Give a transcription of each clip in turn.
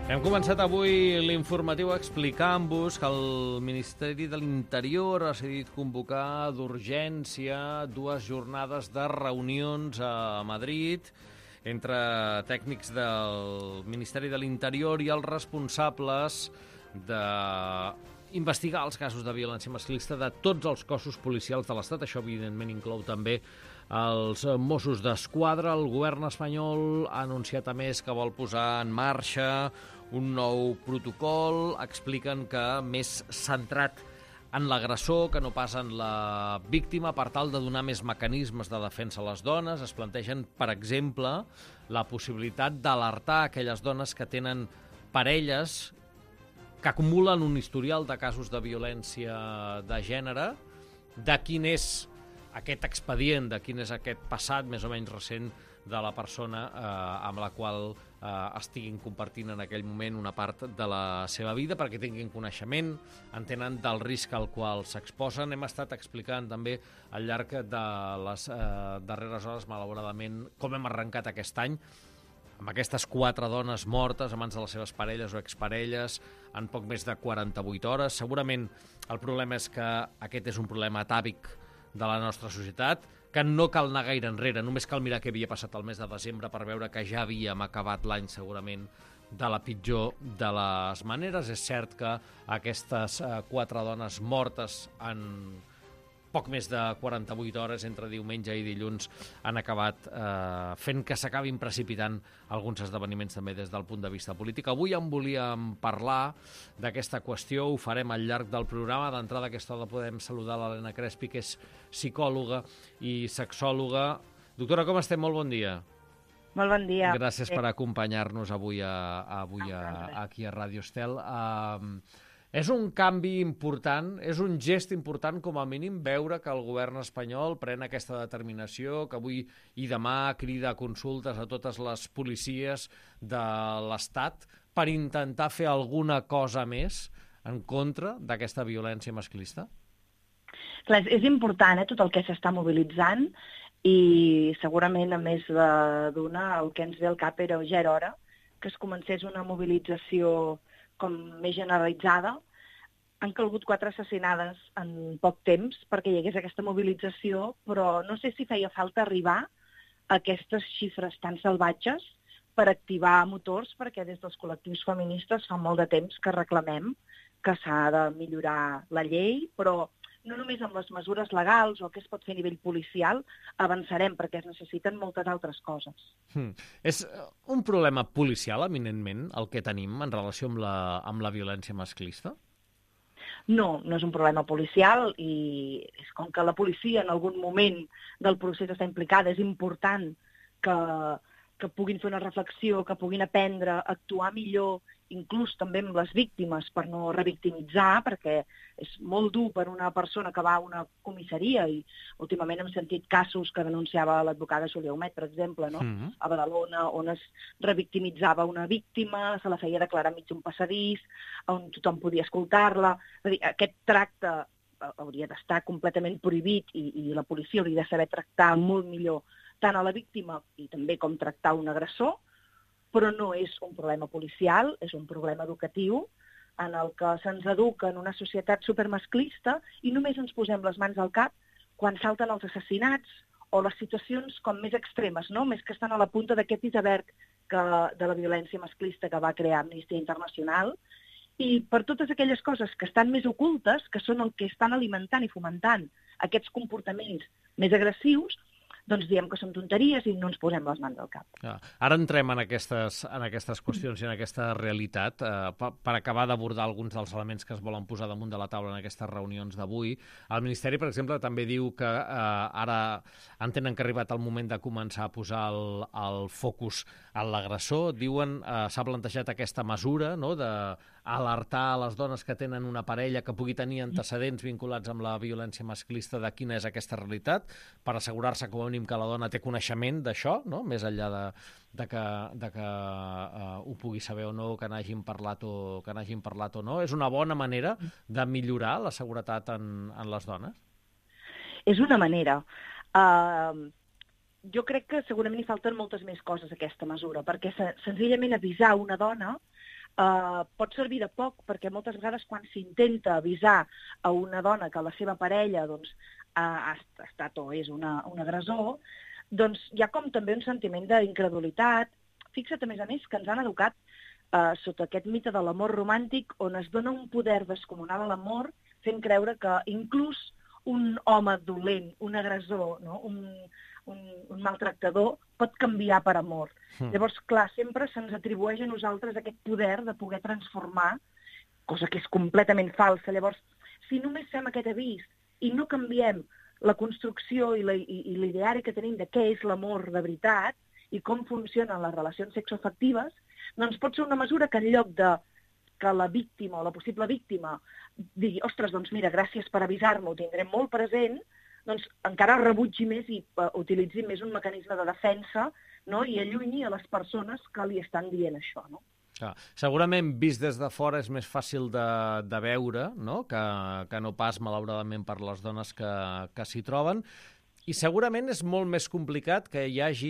Hem començat avui l'informatiu explicant-vos que el Ministeri de l'Interior ha decidit convocar d'urgència 2 jornades de reunions a Madrid entre tècnics del Ministeri de l'Interior i els responsables d'investigar els casos de violència masclista de tots els cossos policials de l'Estat. Això, evidentment, inclou també els Mossos d'Esquadra. El govern espanyol ha anunciat, a més, que vol posar en marxa un nou protocol. Expliquen que més centrat en l'agressor que no pas en la víctima, per tal de donar més mecanismes de defensa a les dones. Es plantegen, per exemple, la possibilitat d'alertar aquelles dones que tenen parelles que acumulen un historial de casos de violència de gènere, de quin és aquest expedient, de quin és aquest passat més o menys recent de la persona amb la qual estiguin compartint en aquell moment una part de la seva vida, perquè tinguin coneixement, entenen del risc al qual s'exposen. Hem estat explicant també al llarg de les darreres hores, malauradament, com hem arrencat aquest any, amb aquestes 4 dones mortes a mans de les seves parelles o exparelles en poc més de 48 hores. Segurament el problema és que aquest és un problema atàvic de la nostra societat, que no cal anar gaire enrere, només cal mirar què havia passat el mes de desembre per veure que ja havíem acabat l'any segurament de la pitjor de les maneres. És cert que aquestes 4 dones mortes en poc més de 48 hores entre diumenge i dilluns han acabat fent que s'acabin precipitant alguns esdeveniments també des del punt de vista polític. Avui en volíem parlar d'aquesta qüestió, ho farem al llarg del programa. D'entrada, aquesta hora podem saludar l'Helena Crespi, que és psicòloga i sexòloga. Doctora, com estem? Molt bon dia. Molt bon dia. Gràcies per acompanyar-nos avui aquí a Ràdio Estel. És un canvi important, és un gest important com a mínim veure que el govern espanyol pren aquesta determinació, que avui i demà crida a consultes a totes les policies de l'Estat per intentar fer alguna cosa més en contra d'aquesta violència masclista? Clar, és important tot el que s'està mobilitzant i segurament, a més d'una, el que ens ve al cap era ja era hora que es comencés una mobilització com més generalitzada. Han calgut 4 assassinades en poc temps perquè hi hagués aquesta mobilització, però no sé si feia falta arribar a aquestes xifres tan salvatges per activar motors, perquè des dels col·lectius feministes fa molt de temps que reclamem que s'ha de millorar la llei, però no només amb les mesures legals o el que es pot fer a nivell policial avançarem, perquè es necessiten moltes altres coses. És un problema policial, eminentment, el que tenim en relació amb la violència masclista? No, no és un problema policial i és com que la policia en algun moment del procés està implicada, és important que puguin fer una reflexió, que puguin aprendre a actuar millor, inclús també amb les víctimes, per no revictimitzar, perquè és molt dur per una persona que va a una comissaria, i últimament hem sentit casos que denunciava l'advocada Júlia Humet, per exemple, no? A Badalona, on es revictimitzava una víctima, se la feia declarar mig un passadís, on tothom podia escoltar-la. És a dir, aquest tracte hauria d'estar completament prohibit i la policia hauria de saber tractar molt millor tant a la víctima i també com tractar un agressor, però no és un problema policial, és un problema educatiu en el que se'ns educa en una societat supermasclista i només ens posem les mans al cap quan salten els assassinats o les situacions com més extremes, no? Més que estan a la punta d'aquest iceberg de la violència masclista que va crear Amnistia Internacional, i per totes aquelles coses que estan més ocultes, que són el que estan alimentant i fomentant aquests comportaments més agressius, doncs diem que són tonteries i no ens posem les mans al cap. Ara entrem en aquestes qüestions i en aquesta realitat. Per acabar d'abordar alguns dels elements que es volen posar damunt de la taula en aquestes reunions d'avui, el Ministeri, per exemple, també diu que ara entenen que ha arribat el moment de començar a posar el focus en l'agressor. Diuen, s'ha plantejat aquesta mesura, no?, d'alertar a les dones que tenen una parella que pugui tenir antecedents vinculats amb la violència masclista de quina és aquesta realitat, per assegurar-se com a mínim que la dona té coneixement d'això, no?, més enllà de que ho pugui saber o no, que n'hagin parlat o no. És una bona manera de millorar la seguretat en les dones? És una manera. Jo crec que segurament hi falten moltes més coses a aquesta mesura, perquè senzillament avisar una dona pot servir de poc, perquè moltes vegades quan s'intenta avisar a una dona que la seva parella doncs, ha estat o és un agressor, doncs hi ha com també un sentiment d'incredulitat. Fixa't, a més, que ens han educat sota aquest mite de l'amor romàntic, on es dona un poder descomunal a l'amor, fent creure que inclús un home dolent, un agressor, no? un maltractador, pot canviar per amor. Llavors, clar, sempre se'ns atribueix a nosaltres aquest poder de poder transformar, cosa que és completament falsa. Llavors, si només fem aquest avís i no canviem la construcció i l'ideari que tenim de què és l'amor de veritat i com funcionen les relacions sexoafectives, doncs pot ser una mesura que en lloc de que la víctima o la possible víctima digui, ostres, doncs mira, gràcies per avisar-me, ho tindrem molt present, doncs encara rebutgi més i utilitzi més un mecanisme de defensa, no? I allunyi a les persones que li estan dient això, no? Segurament, vist des de fora, és més fàcil de veure, no? Que no pas, malauradament, per les dones que s'hi troben. I segurament és molt més complicat que hi hagi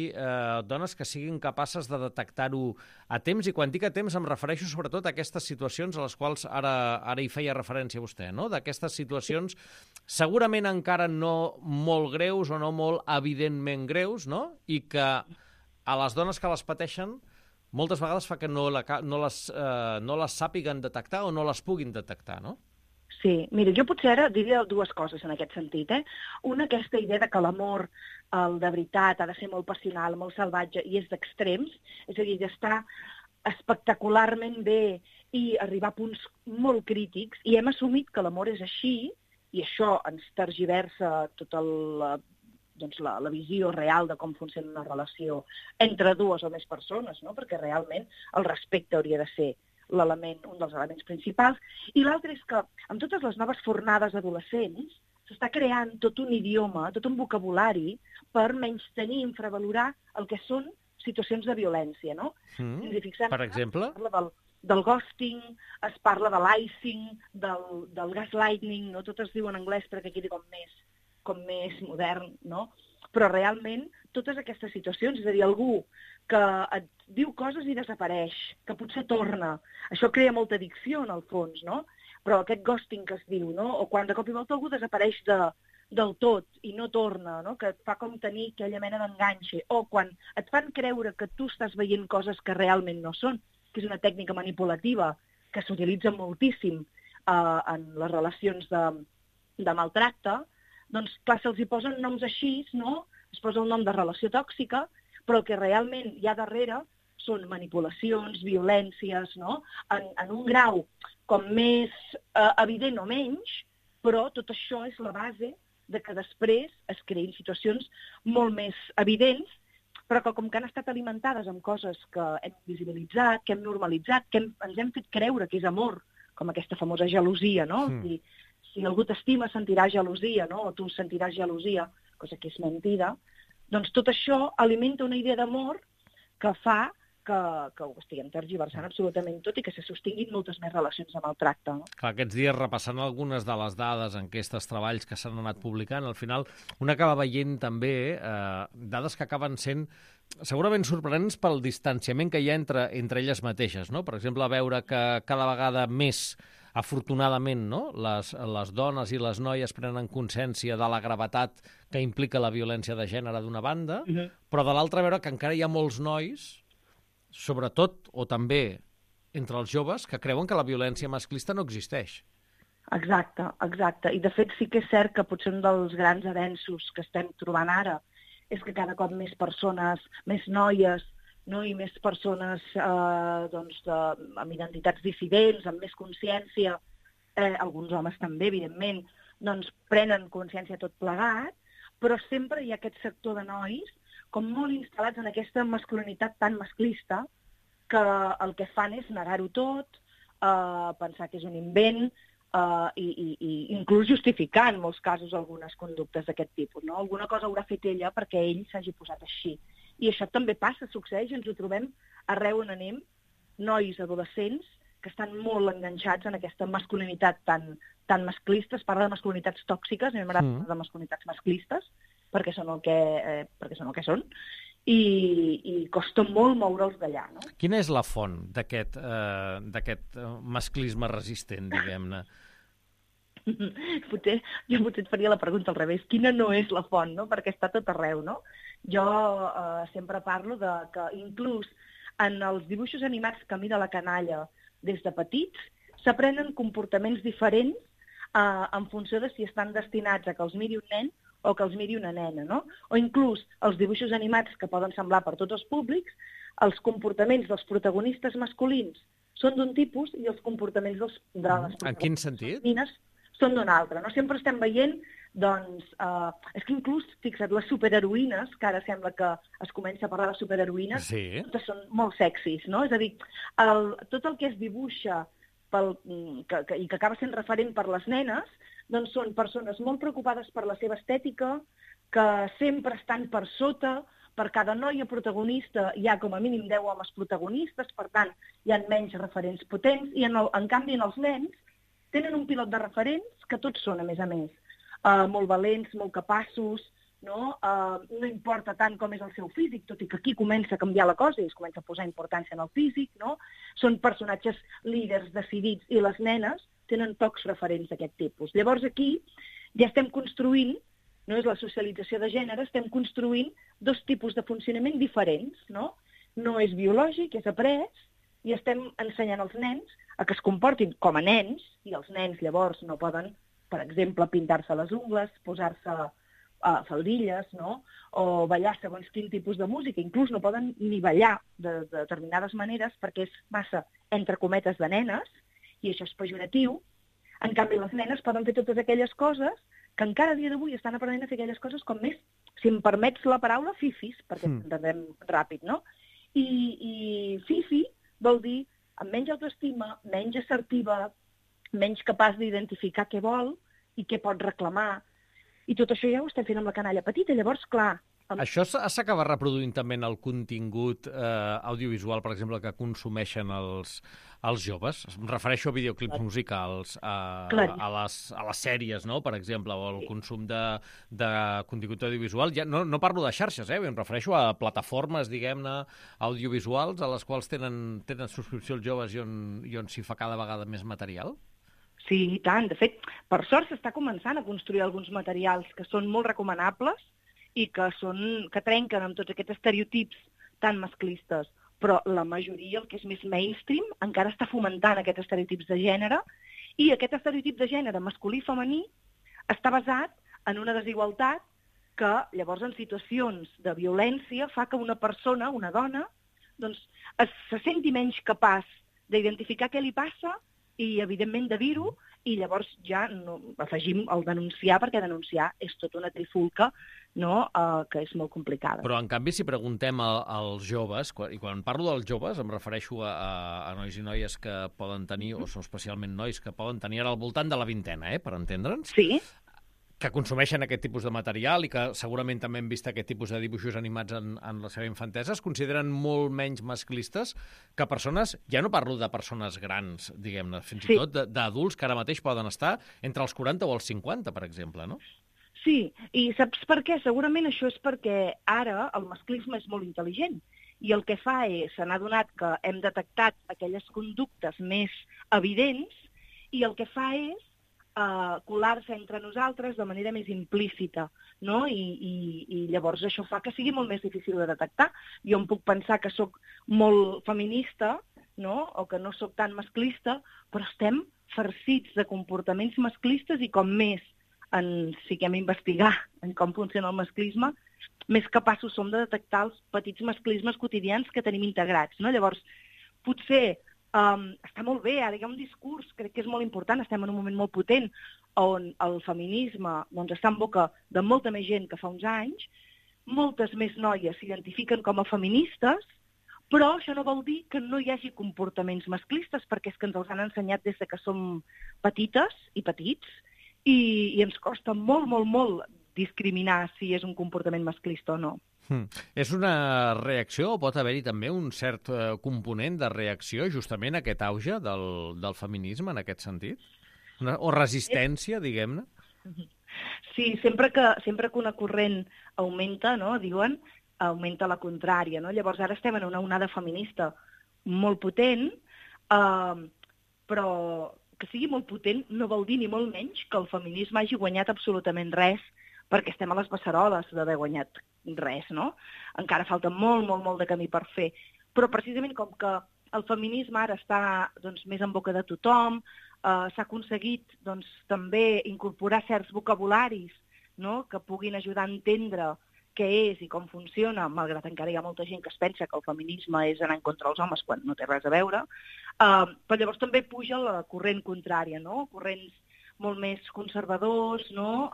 dones que siguin capaces de detectar-ho a temps, i quan dic a temps em refereixo sobretot a aquestes situacions a les quals ara hi feia referència vostè, no? D'aquestes situacions segurament encara no molt greus o no molt evidentment greus, no? I que a les dones que les pateixen moltes vegades fa que no les sàpiguen detectar o no les puguin detectar, no? Sí, mira, jo potser ara diria dues coses en aquest sentit. Una, aquesta idea de que l'amor, el de veritat, ha de ser molt passional, molt salvatge i és d'extrems, és a dir, d'estar espectacularment bé i arribar a punts molt crítics, i hem assumit que l'amor és així, i això ens tergiversa tota la visió real de com funciona una relació entre dues o més persones, no? Perquè realment el respecte hauria de ser un dels elements principals. I l'altre és que amb totes les noves fornades adolescents s'està creant tot un idioma, tot un vocabulari per menystenir, infravalorar el que són situacions de violència, no? Per exemple? Es parla del ghosting, es parla de l'icing, del gaslighting, no? Tot es diu en anglès perquè quedi com més modern, no? Però realment totes aquestes situacions, és a dir, algú que et diu coses i desapareix, que potser torna. Això crea molta addicció, en el fons, no? Però aquest ghosting que es diu, no? O quan de cop i volta algú desapareix del tot i no torna, no? Que et fa com tenir aquella mena d'enganxe. O quan et fan creure que tu estàs veient coses que realment no són, que és una tècnica manipulativa que s'utilitza moltíssim en les relacions de maltracte, doncs, clar, se'ls hi posen noms així, no? Es posa el nom de relació tòxica, però el que realment hi ha darrere són manipulacions, violències, no? En un grau com més evident o menys, però tot això és la base de que després es creïn situacions molt més evidents, però que com que han estat alimentades amb coses que hem visibilitzat, que hem normalitzat, que ens hem fet creure que és amor, com aquesta famosa gelosia, no? Si algú t'estima sentirà gelosia, no? O tu sentiràs gelosia, cosa que és mentida. Doncs tot això alimenta una idea d'amor que fa que ho estiguem tergiversant absolutament tot i que se sostinguin moltes més relacions de maltracte. No? Clar, aquests dies, repassant algunes de les dades, enquestes, treballs que s'han anat publicant, al final un acaba veient també dades que acaben sent segurament sorprenents pel distanciament que hi ha entre elles mateixes, no? Per exemple, veure que cada vegada més, afortunadament, no? Les dones i les noies prenen consciència de la gravetat que implica la violència de gènere d'una banda, però de l'altra veure que encara hi ha molts nois, sobretot o també entre els joves, que creuen que la violència masclista no existeix. Exacte, exacte. I de fet sí que és cert que potser un dels grans avenços que estem trobant ara és que cada cop més persones, més noies, no? I més persones amb identitats dissidents, amb més consciència, alguns homes també, evidentment, doncs prenen consciència tot plegat, però sempre hi ha aquest sector de nois com molt instal·lats en aquesta masculinitat tan masclista que el que fan és negar-ho tot, pensar que és un invent i inclús justificar en molts casos algunes conductes d'aquest tipus. No? Alguna cosa haurà fet ella perquè ell s'hagi posat així. I això també passa, succeeix, ens ho trobem arreu on anem, nois adolescents que estan molt enganxats en aquesta masculinitat tan masclista. Es parla de masculinitats tòxiques, a mi m'agrada parlar de masculinitats masclistes, perquè són el que són. i costa molt moure'ls d'allà, no? Quina és la font d'aquest masclisme resistent, diguem-ne? Potser et faria la pregunta al revés. Quina no és la font, no? Perquè està tot arreu, no? Jo sempre parlo de que inclús en els dibuixos animats que mira la canalla des de petits s'aprenen comportaments diferents en funció de si estan destinats a que els miri un nen o que els miri una nena, no? O inclús els dibuixos animats que poden semblar per tots els públics, els comportaments dels protagonistes masculins són d'un tipus i els comportaments de les protagonistes en quin sentit? femenines són d'un altre, no? Sempre estem veient, doncs, és que inclús, fixa't, les superheroïnes, que ara sembla que es comença a parlar de superheroïnes, totes són molt sexis, no? És a dir, tot el que es dibuixa i que acaba sent referent per les nenes, doncs són persones molt preocupades per la seva estètica, que sempre estan per sota, per cada noia protagonista hi ha com a mínim 10 homes protagonistes, per tant, hi ha menys referents potents, i en canvi en els nens tenen un pilot de referents que tots són, a més, molt valents, molt capaços, no? No importa tant com és el seu físic, tot i que aquí comença a canviar la cosa i es comença a posar importància en el físic, no? Són personatges líders, decidits, i les nenes tenen pocs referents d'aquest tipus. Llavors aquí ja estem construint, no és la socialització de gènere, estem construint dos tipus de funcionament diferents, no? No és biològic, és après, i estem ensenyant als nens a que es comportin com a nens, i els nens llavors no poden, per exemple, pintar-se les ungles, posar-se faldilles, no? O ballar segons quin tipus de música, inclús no poden ni ballar de determinades maneres perquè és massa, entre cometes, de nenes, i això és pejoratiu. En canvi, les nenes poden fer totes aquelles coses que encara a dia d'avui estan aprenent a fer aquelles coses com més, si em permets la paraula, fifis, perquè entendrem ràpid, no? I fifi vol dir amb menys autoestima, menys assertiva, menys capaç d'identificar què vol i què pot reclamar. I tot això ja ho estem fent amb la canalla petita. Llavors, clar... Això s'acaba reproduint també en el contingut audiovisual, per exemple, que consumeixen els joves? Em refereixo a videoclips musicals, a les sèries, no?, per exemple, o al consum de contingut audiovisual. Ja no parlo de xarxes, em refereixo a plataformes, diguem-ne, audiovisuals, a les quals tenen subscripció els joves i on s'hi fa cada vegada més material? Sí, i tant. De fet, per sort s'està començant a construir alguns materials que són molt recomanables i que trenquen amb tots aquests estereotips tan masclistes. Però la majoria, el que és més mainstream, encara està fomentant aquests estereotips de gènere, i aquest estereotip de gènere masculí i femení està basat en una desigualtat que, llavors, en situacions de violència, fa que una persona, una dona, doncs, se senti menys capaç d'identificar què li passa i, evidentment, de dir-ho, i llavors ja afegim el denunciar, perquè denunciar és tota una trifulca, no? Que és molt complicada. Però, en canvi, si preguntem als joves, i quan parlo dels joves em refereixo a nois i noies que poden tenir, o són especialment nois que poden tenir ara al voltant de la vintena, per entendre'ns? Sí. Que consumeixen aquest tipus de material i que segurament també hem vist aquest tipus de dibuixos animats en la seva infantesa, es consideren molt menys masclistes que persones, ja no parlo de persones grans, diguem-ne, fins i tot d'adults que ara mateix poden estar entre els 40 o els 50, per exemple, no? Sí, i saps per què? Segurament això és perquè ara el masclisme és molt intel·ligent i el que fa és, se n'ha adonat que hem detectat aquelles conductes més evidents i el que fa és colar-se entre nosaltres de manera més implícita, no? I llavors això fa que sigui molt més difícil de detectar. Jo em puc pensar que sóc molt feminista, no? O que no sóc tan masclista, però estem farcits de comportaments masclistes i com més ens fiquem a investigar en com funciona el masclisme, més capaços som de detectar els petits masclismes quotidians que tenim integrats, no? Llavors, potser està molt bé, ara hi ha un discurs, crec que és molt important, estem en un moment molt potent, on el feminisme doncs, està en boca de molta més gent que fa uns anys, moltes més noies s'identifiquen com a feministes, però això no vol dir que no hi hagi comportaments masclistes, perquè és que ens els han ensenyat des que som petites i petits, i ens costa molt, molt, molt discriminar si és un comportament masclista o no. És una reacció o pot haver-hi també un cert component de reacció justament a aquest auge del feminisme en aquest sentit? O resistència, diguem-ne? Sí, sempre que una corrent augmenta, no, diuen, augmenta la contrària, no? Llavors ara estem en una onada feminista molt potent, però que sigui molt potent no vol dir ni molt menys que el feminisme hagi guanyat absolutament res, perquè estem a les beceroles d'haver guanyat res, no? Encara falta molt, molt, molt de camí per fer. Però precisament com que el feminisme ara està més en boca de tothom, s'ha aconseguit també incorporar certs vocabularis, no?, que puguin ajudar a entendre què és i com funciona, malgrat encara hi ha molta gent que es pensa que el feminisme és anar en contra dels homes quan no té res a veure, però llavors també puja la corrent contrària, no?, corrents molt més conservadors, no?,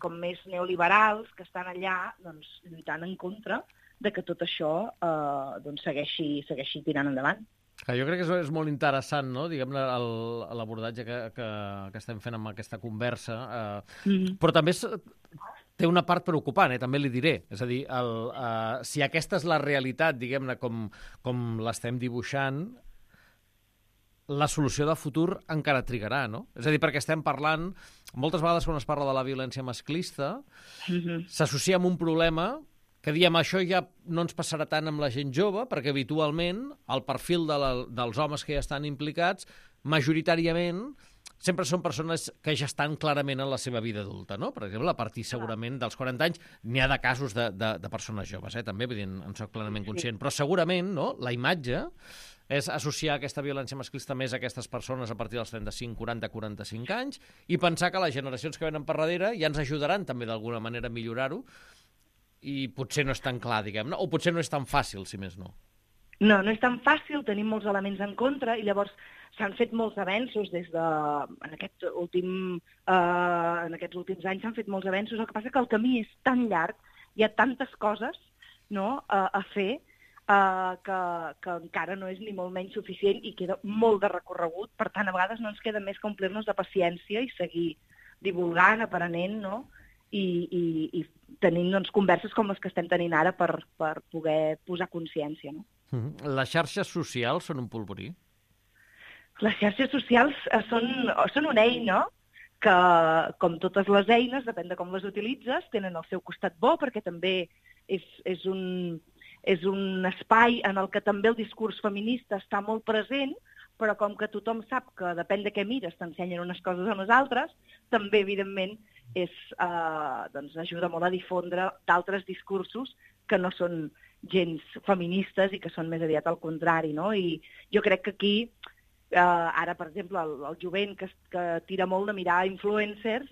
com més neoliberals, que estan allà lluitant en contra de que tot això segueixi tirant endavant. Jo crec que és molt interessant, no?, diguem-ne, l'abordatge que estem fent amb aquesta conversa, però també té una part preocupant, també li diré. És a dir, si aquesta és la realitat, diguem-ne, com l'estem dibuixant, la solució de futur encara trigarà, no? És a dir, perquè estem parlant, moltes vegades quan es parla de la violència masclista, s'associa amb un problema que diem això ja no ens passarà tant amb la gent jove, perquè habitualment el perfil dels homes que ja estan implicats, majoritàriament, sempre són persones que ja estan clarament en la seva vida adulta, no? Per exemple, a partir segurament dels 40 anys n'hi ha de casos de persones joves, també, vull dir, en soc plenament conscient, però segurament, no?, la imatge és associar aquesta violència masclista més a aquestes persones a partir dels 35, 40, 45 anys i pensar que les generacions que venen per darrere ja ens ajudaran també d'alguna manera a millorar-ho i potser no és tan clar, diguem-ne, o potser no és tan fàcil, si més no. No és tan fàcil, tenim molts elements en contra i llavors s'han fet molts avenços en aquests últims anys s'han fet molts avenços, el que passa que el camí és tan llarg, hi ha tantes coses, no?, a fer, que encara no és ni molt menys suficient i queda molt de recorregut, per tant, a vegades no ens queda més que omplir-nos de paciència i seguir divulgant, aprenent, no?, i tenint converses com les que estem tenint ara per poder posar consciència, no? Les xarxes socials són un polvorí? Les xarxes socials són una eina que, com totes les eines, depèn de com les utilitzes, tenen el seu costat bo, perquè també és un espai en el que també el discurs feminista està molt present, però com que tothom sap que depèn de què mires t'ensenyen unes coses a nosaltres, també, evidentment, ajuda molt a difondre d'altres discursos que no són gens feministes i que són més aviat al contrari, no? I jo crec que aquí, ara, per exemple, el jovent que tira molt de mirar influencers,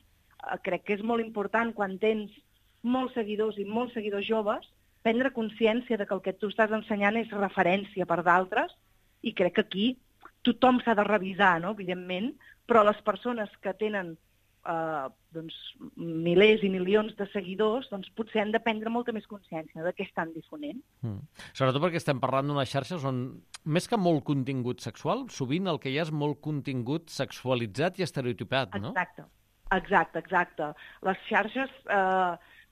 crec que és molt important, quan tens molts seguidors i molts seguidors joves, prendre consciència de que el que tu estàs ensenyant és referència per d'altres, i crec que aquí tothom s'ha de revisar, no?, evidentment, però les persones que tenen milers i milions de seguidors, potser han de prendre molta més consciència de què estan difonent. Sobretot perquè estem parlant d'unes xarxes on, més que molt contingut sexual, sovint el que hi ha és molt contingut sexualitzat i estereotipat, no? Exacte. Les xarxes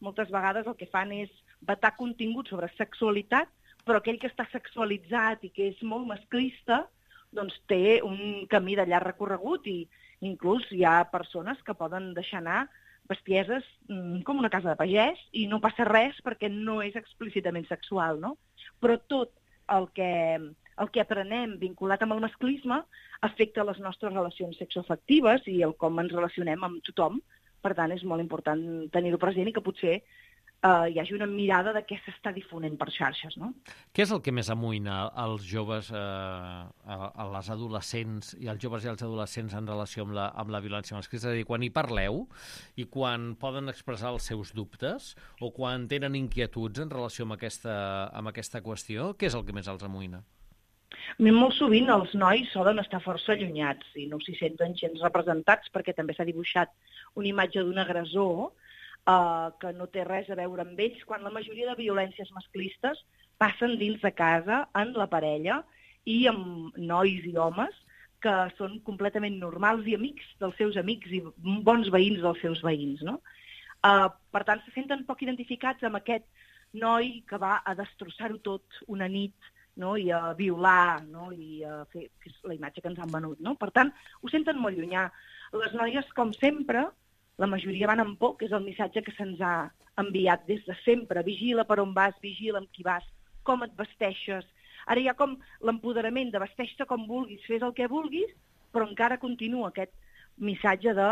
moltes vegades el que fan és vetar contingut sobre sexualitat, però aquell que està sexualitzat i que és molt masclista, té un camí de llarg recorregut i inclús hi ha persones que poden deixar anar bestieses com una casa de pagès i no passa res perquè no és explícitament sexual, no? Però tot el que aprenem vinculat amb el masclisme afecta les nostres relacions sexoafectives i el com ens relacionem amb tothom. Per tant, és molt important tenir-ho present i que potser hi hagi una mirada de què s'està difonent per xarxes, no? Què és el que més amoïna als joves, a les adolescents i als joves i als adolescents en relació amb la violència masclista? És a dir, quan hi parleu i quan poden expressar els seus dubtes o quan tenen inquietuds en relació amb aquesta qüestió, què és el que més els amoïna? Molt sovint els nois solen estar força allunyats i no s'hi senten gens representats perquè també s'ha dibuixat una imatge d'un agressor que no té res a veure amb ells, quan la majoria de violències masclistes passen dins de casa, en la parella, i amb nois i homes que són completament normals i amics dels seus amics i bons veïns dels seus veïns, no? Per tant, se senten poc identificats amb aquest noi que va a destrossar-ho tot una nit, no? I a violar, no? I a fer la imatge que ens han venut, no? Per tant, ho senten molt llunyà. Les noies, com sempre, la majoria van amb por, que és el missatge que se'ns ha enviat des de sempre. Vigila per on vas, vigila amb qui vas, com et vesteixes. Ara hi ha com l'empoderament de vesteix-te com vulguis, fes el que vulguis, però encara continua aquest missatge de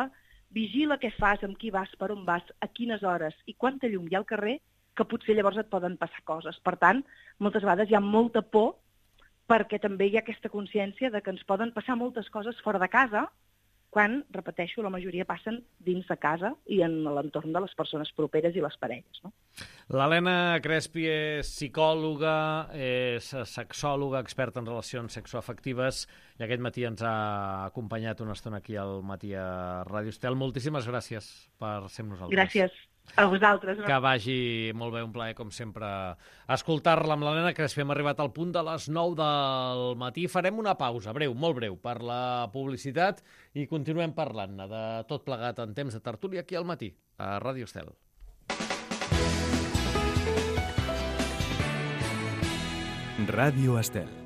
vigila què fas, amb qui vas, per on vas, a quines hores i quanta llum hi ha al carrer, que potser llavors et poden passar coses. Per tant, moltes vegades hi ha molta por perquè també hi ha aquesta consciència de que ens poden passar moltes coses fora de casa quan, repeteixo, la majoria passen dins de casa i en l'entorn de les persones properes i les parelles. No? L'Helena Crespi és psicòloga, és sexòloga, experta en relacions sexoafectives, i aquest matí ens ha acompanyat una estona aquí al Matí a Ràdio Estel. Moltíssimes gràcies per ser amb nosaltres. Gràcies a vosaltres. Que vagi molt bé, un plaer, com sempre, escoltar-la amb l'Helena Crespi. Hem arribat al punt de les 9 del matí. Farem una pausa, breu, molt breu, per la publicitat i continuem parlant-ne de tot plegat en temps de tertúlia aquí al Matí, a Ràdio Estel. Ràdio Estel.